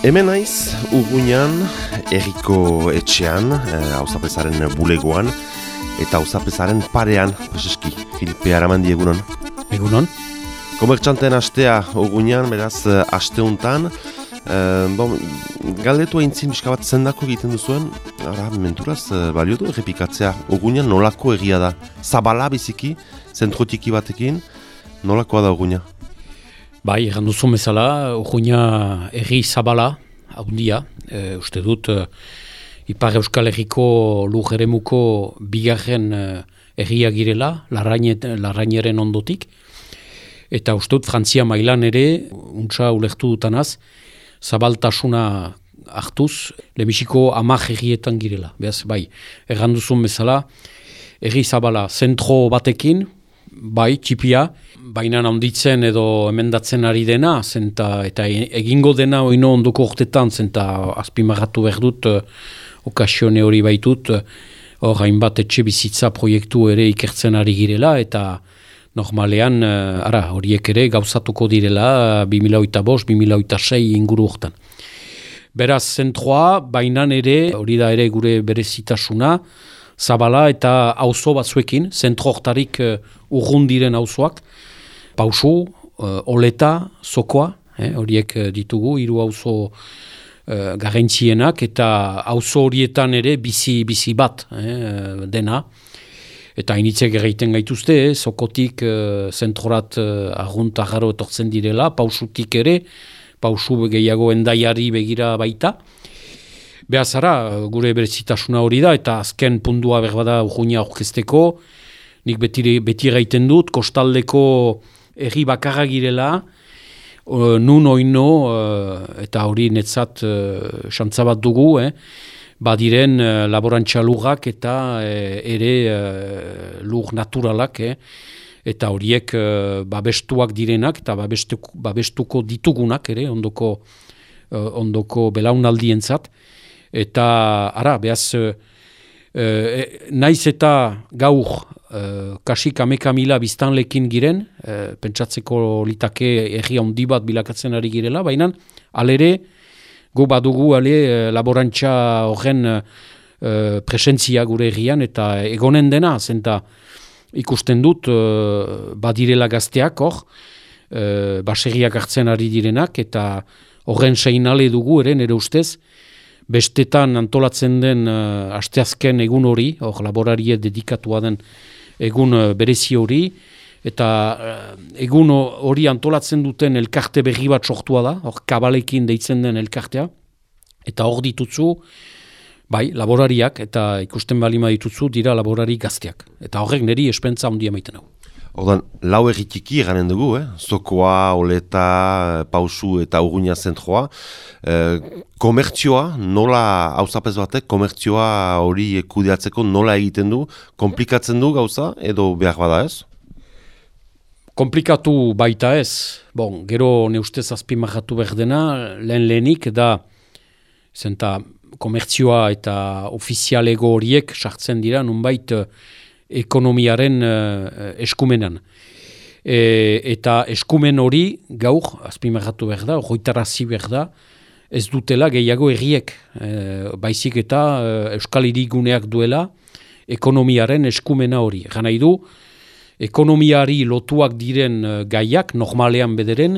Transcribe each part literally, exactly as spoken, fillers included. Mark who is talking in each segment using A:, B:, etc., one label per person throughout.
A: Hemen naiz, Urruñan, herriko etxean, auzapezaren bulegoan, eta auzapezaren parean, peseski, Filipe Aramandi egunon.
B: Egunon.
A: Komertxanten astea Urruñan, beraz, asteuntan, eh, bon, galdetu aintzin biska bat zendako egiten duzuen, ara, menturaz, balio du errepikatzea, Urruñan nolako egia da? Zabala biziki, zentrotiki batekin, nolakoa da Urruña?
B: Bai, egan duzu bezala, Urruña herri zabala, haundia, e, uste dut, e, Ipar Euskal Herriko lur eremuko bigarren e, herria girela, Larrañeren ondotik, eta uste dut Frantzia mailan ere, untsa ulertu dutanaz, zabaltasuna hartuz, lehenbiziko hamar herrietan girela. Beaz, bai, egan duzun bezala, herri zabala, zentro batekin, bai, txipia, baina handitzen edo emendatzen ari dena, zenta, eta egingo dena oino ondoko urtetan, zenta azpimarratu behar dut, okasione hori baitut, hor hainbat etxe bizitza proiektu ere ikertzen ari girela, eta normalean, ara, horiek ere gauzatuko direla, bi mila hogeita bost, bi mila hogeita sei inguru hortan. Beraz, zentroa, bainan ere, hori da ere gure berezitasuna, zabala eta auzo batzuekin, zentro hortarik uh, urrun diren auzoak, Pausu, uh, Oleta, Zokoa, eh, horiek uh, ditugu, hiru auzo uh, garrantzienak, eta auzo horietan ere bizi, bizi bat eh, dena. Eta initzek egiten gaituzte, eh, Zokotik uh, zentrorat uh, argunt agarro etortzen direla, Pausutik ere, Pausu gehiago endaiari begira baita. Behazara, gure berezitasuna hori da, eta azken pundua berbada Urruña aurkezteko, nik beti, beti gaiten dut, kostaldeko herri bakarra girela, uh, nun oino, uh, eta hori netzat uh, xantza bat dugu, eh, badiren uh, laborantza lurrak eta uh, ere uh, lur naturalak, eh, eta horiek uh, babestuak direnak, eta babestuko, babestuko ditugunak, ere, ondoko, uh, ondoko belaunaldientzat. Eta, ara, behaz, e, e, naiz eta gaur e, kasik ameka mila biztanlekin giren, e, pentsatzeko litake herri handi bat bilakatzen ari girela, baina alere, gu badugu ale laborantza horren e, presentzia gure herrian, eta egonen dena, zenta ikusten dut, e, badirela gazteak hor, e, baserriak hartzen ari direnak, eta horren seinale dugu, eren ere ustez, bestetan antolatzen den uh, asteazken egun hori, hor laborarie dedikatua den egun uh, berezi hori, eta uh, egun hori antolatzen duten elkarte berri bat sortua da, hor kabalekin deitzen den elkartea, eta hor ditutzu, bai, laborariak, eta ikusten balima ditutzu, dira laborari gazteak. Eta horrek niri espentza handia maiten hau.
A: Ordan, lau erritiki eranen dugu, eh? Zokoa, Oleta, Pausu eta Urruña zentroa. Eh, komertzioa, nola, auzapez batek, komertzioa hori kudeatzeko nola egiten du? Komplikatzen du gauza, edo behar bada ez?
B: Komplikatu baita ez. Bon, gero neustez azpimarratu behar dena, lehen lehenik da, zenta komertzioa eta ofizialego horiek sartzen dira, nunbait, ekonomiaren uh, eskumenan. E, eta eskumen hori gaur, azpimarratu behar da, hoitarazi behar da, ez dutela gehiago herriek. E, baizik eta uh, Euskal Hiriguneak duela ekonomiaren eskumena hori. Gana idu, ekonomiari lotuak diren uh, gaiak, normalean bederen,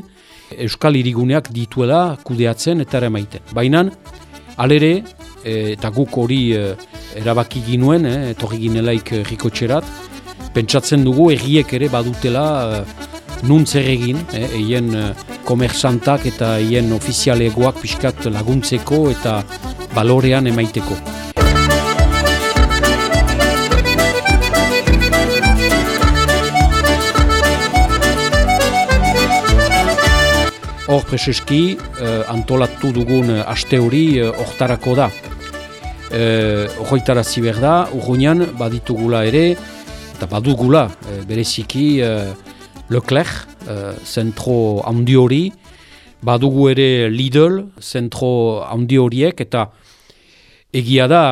B: Euskal Hiriguneak dituela kudeatzen eta eramaiten. Baina, alere, eta guk hori e, erabaki ginuen, eh, etorri ginelaik rikotxerat, pentsatzen dugu erriek ere badutela e, nun zer egin, eh, eien e, komersantak eta eien ofizialegoak pixkat laguntzeko eta balorean emaiteko. Hor preseski, eh, antolatu dugun aste hori hortarako da. Horretarazi behar da, Urruñan baditugula ere, eta badugula e, bereziki e, Leclerc, e, zentro handi hori, badugu ere Lidl, zentro handi horiek, eta egia da,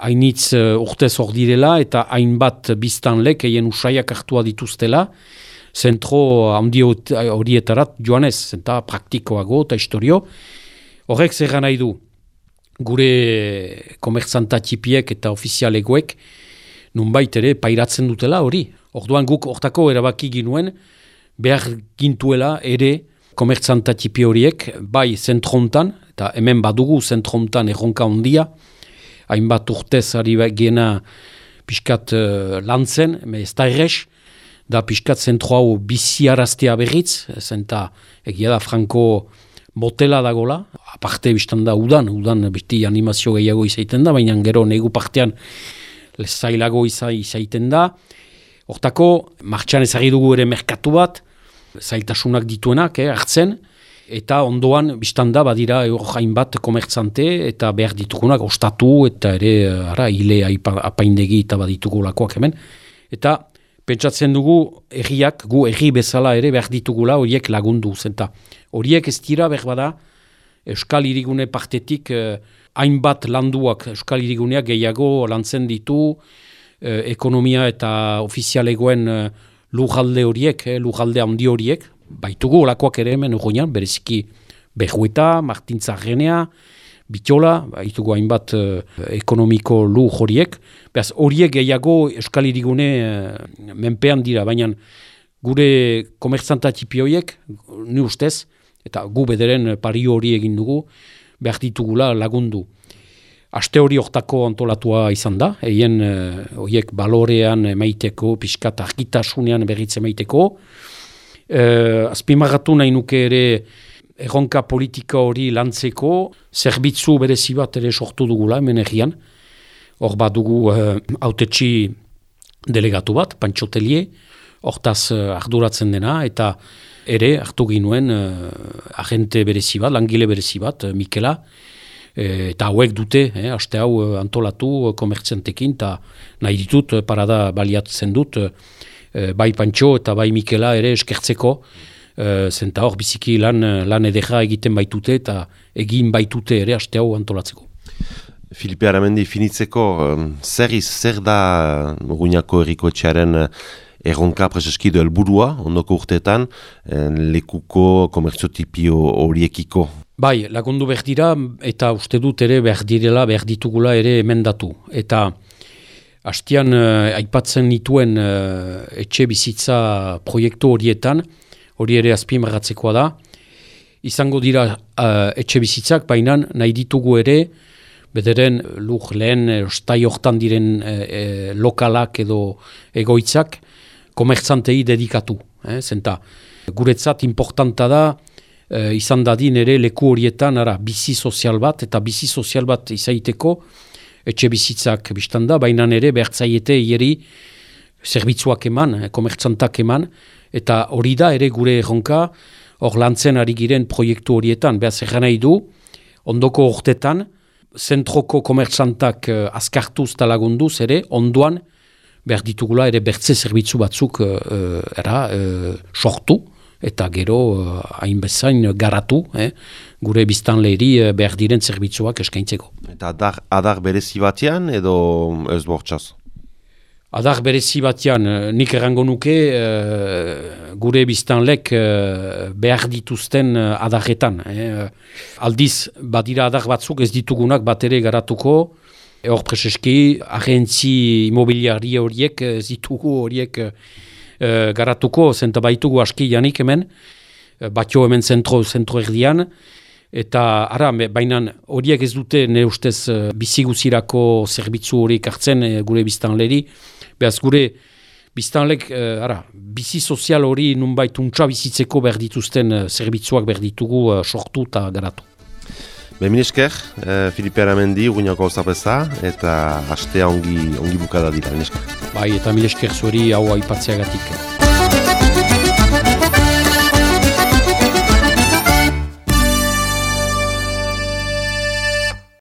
B: hainitz e, urtez hor direla, eta hainbat biztanlek eien usaiak hartua dituztela, zentro handi horietarat joanez, zenta praktikoago eta historio, Horrek zer nahi du, gure komertzanta txipiek eta ofizialegoek nunbait ere pairatzen dutela hori. Orduan guk hortako erabaki ginuen behar gintuela ere komertzanta txipi horiek, bai zentrontan, eta hemen badugu zentrontan erronka ondia, hainbat urtez ari gena pixkat uh, lantzen, ez da errez, da pixkat zentro hau biziaraztea berriz, zenta egia da Franco motela dagola, aparte biztan da udan, udan beti animazio gehiago izaiten da, baina gero negu partean zailago izaiten da. Hortako, martxan ezagri dugu ere merkatu bat, zailtasunak dituenak, eh, hartzen, eta ondoan, biztanda, badira jain bat komertzante, eta behar ditugunak, ostatu, eta ere, ara, hile apaindegi eta baditugu lakoak hemen. Eta, pentsatzen dugu, erriak, gu erri bezala ere behar ditugula, horiek lagundu, zenta. Horiek ez dira, behar bada, Euskal Hirigune partetik, eh, hainbat landuak, Euskal Hiriguneak gehiago lantzen ditu, eh, ekonomia eta ofizialegoen eh, lujalde horiek, eh, lujalde handi horiek, baitugu olakoak ere hemen urruinan, bereziki Bejueta, Martintzarrenea, Bitola, baitugu hainbat eh, ekonomiko luj horiek, behaz horiek gehiago Euskal Hirigune eh, menpean dira, baina gure komertzanta txipi horiek, ni ustez, eta gu bederen pario hori egin dugu, behar ditugula lagundu. Aste hori hortako antolatua izan da, eien horiek uh, balorean emaiteko, pixkat argitasunean berritze emaiteko. Uh, azpimarratu nahi nuke ere erronka politika hori lantzeko, zerbitzu berezi bat ere sortu dugula, hemen errian. Hor bat dugu uh, autetxi delegatu bat, Pantxotelie, hortaz uh, arduratzen dena, eta ere hartu ginuen uh, agente berezi bat, langile berezi bat, uh, Mikela, eta hauek dute, eh, aste hau antolatu komertzentekin, eta nahi ditut, parada baliatzen dut, eh, bai Pantxo eta bai Mikela ere eskertzeko, eh, zenta hor biziki lan, lan edera egiten baitute, eta egin baitute ere aste hau antolatzeko.
A: Filipe Aramendi, finitzeko, zer iz, zer da Urruñako herriko etxearen erronka preseskido helburua, ondoko urteetan, lekuko komertzotipio horiekiko?
B: Bai, lagundu behar dira, eta uste dut ere behar direla, behar ditugula ere emendatu. Eta hastian uh, aipatzen nituen uh, etxe bizitza proiektu horietan, hori ere azpimarratzekoa da, izango dira uh, etxe bizitzak, baina nahi ditugu ere, bederen lur lehen ostai hortan diren uh, uh, lokalak edo egoitzak, komertzantei dedikatu. Eh? Zenta, guretzat importanta da, Uh, izan dadin ere leku horietan ara, bizi sozial bat, eta bizi sozial bat izaiteko etxe bizitzak biztanda, baina ere behartzaiete hieri zerbitzuak eman, eh, komertzantak eman, eta hori da ere gure erronka hor lantzen ari giren proiektu horietan. Behaz erran nahi du, ondoko urtetan, zentroko komertzantak uh, azkartuz eta lagunduz ere, ondoan behar ditugula ere bertze zerbitzu batzuk uh, era, uh, sortu, eta gero hainbezain uh, garatu, eh, gure biztanleri uh, behar diren zerbitzuak eskaintzeko.
A: Eta adar, adar berezi batean edo ez bortxaz?
B: Adar berezi batean, uh, nik errango nuke uh, gure biztanlek uh, behar dituzten uh, adarretan. Eh. Aldiz, badira adar batzuk ez ditugunak bat ere garatuko, hor preseski, agentzi imobiliari horiek ez ditugu horiek Uh, garatuko, zenta baitugu aski janik hemen, uh, batio hemen zentro, zentro erdian, eta ara, baina horiek ez dute ne ustez uh, biziguzirako zerbitzu horiek hartzen uh, gure biztanleri, behaz gure biztanlek, uh, ara, bizi sozial hori nunbait untsa bizitzeko behar dituzten uh, zerbitzuak behar ditugu uh, sortu eta garatu.
A: Be, minesker, eh, Filipe Aramendi, Urruñako zapeza, eta hastea ongi, ongi bukada dira, minesker.
B: Bai, eta minesker zueri hau aipatzeagatik.